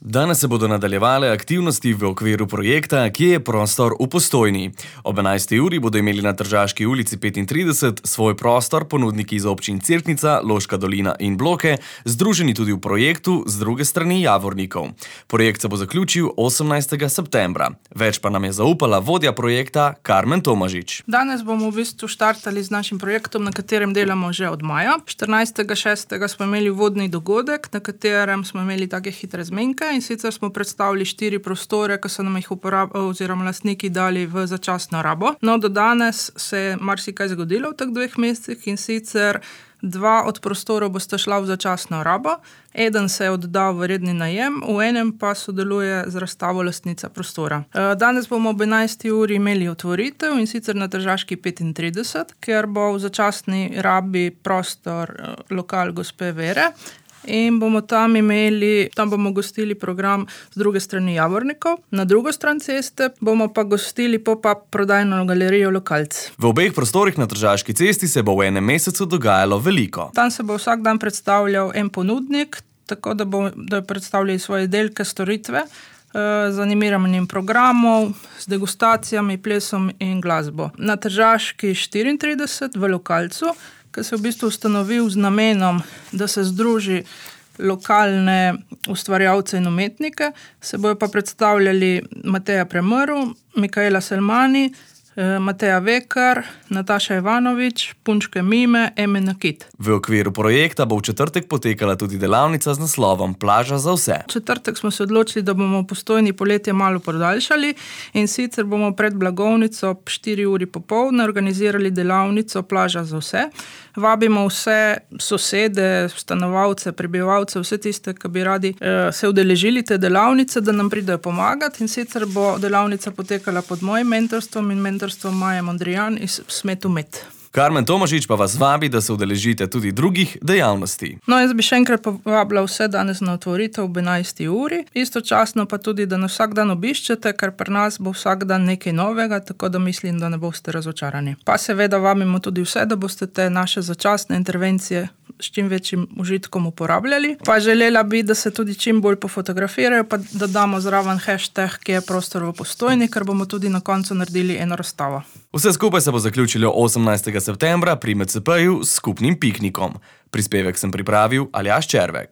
Danes se bodo nadaljevale aktivnosti v okviru projekta Kje je prostor v Postojni. Ob 11. uri bodo imeli na Tržaški ulici 35 svoj prostor ponudniki iz občin Cerknica, Loška dolina in Bloke, združeni tudi v projektu z druge strani Javornikov. Projekt se bo zaključil 18. septembra. Več pa nam je zaupala vodja projekta Karmen Tomažič. Danes bomo v bistvu štartali z našim projektom, na katerem delamo že od maja. 14.6. smo imeli vodni dogodek, na katerem smo imeli take hitre zmenke in sicer smo predstavili 4 prostore, ki so nam jih oziroma lastniki dali v začasno rabo. No, do danes se je marsikaj zgodilo v teh 2 mesecih in sicer 2 od prostorov bosta šla v začasno rabo, eden se je oddal v redni najem, v enem pa sodeluje z razstavo lastnica prostora. Danes bomo ob 11. uri imeli otvoritev in sicer na Tržaški 35, ker bo v začasni rabi prostor lokal gospe Vere. In bomo tam bomo gostili program z druge strani Javornikov. Na drugo stran ceste bomo pa gostili pop-up prodajno galerijo Lokalc. V obeh prostorih na Tržaški cesti se bo v enem mesecu dogajalo veliko. Tam se bo vsak dan predstavljal en ponudnik, tako da predstavljali svoje izdelke, storitve, z animiranjem programov, z degustacijami, plesom in glasbo. Na Tržaški 34 v Lokalcu, ki se je v bistvu ustanovil z namenom, da se združi lokalne ustvarjalce in umetnike, se bojo pa predstavljali Mateja Premrl, Mikaela Selmani, Mateja Vekar, Nataša Ivanovič, Punčke Mime, Eme Nakit. V okviru projekta bo v četrtek potekala tudi delavnica z naslovom Plaža za vse. V četrtek smo se odločili, da bomo v Postojni poletje malo podaljšali in sicer bomo pred blagovnico ob 4 uri popoldne organizirali delavnico Plaža za vse. Vabimo vse sosede, stanovalce, prebivalce, vse tiste, ki bi radi se udeležili te delavnice, da nam pridejo pomagati in sicer bo delavnica potekala pod mojim mentorstvom in mentorstvom Maje Mondrijan iz Smetu Met. Karmen Tomažič pa vas vabi, da se udeležite tudi drugih dejavnosti. No, jaz bi še enkrat povabila vse danes na otvoritev ob 11. uri. Istočasno pa tudi, da nas vsak dan obiščete, ker pri nas bo vsak dan nekaj novega, tako da mislim, da ne boste razočarani. Pa seveda vabimo tudi vse, da boste te naše začasne intervencije s čim večjim užitkom uporabljali. Pa želela bi, da se tudi čim bolj pofotografirajo, pa da damo zraven hashtag Kje je prostor v Postojni, ker bomo tudi na koncu naredili eno razstavo. Vse skupaj se bo zaključilo 18. septembra pri MCP-ju s skupnim piknikom. Prispevek sem pripravil Aljaž Červek.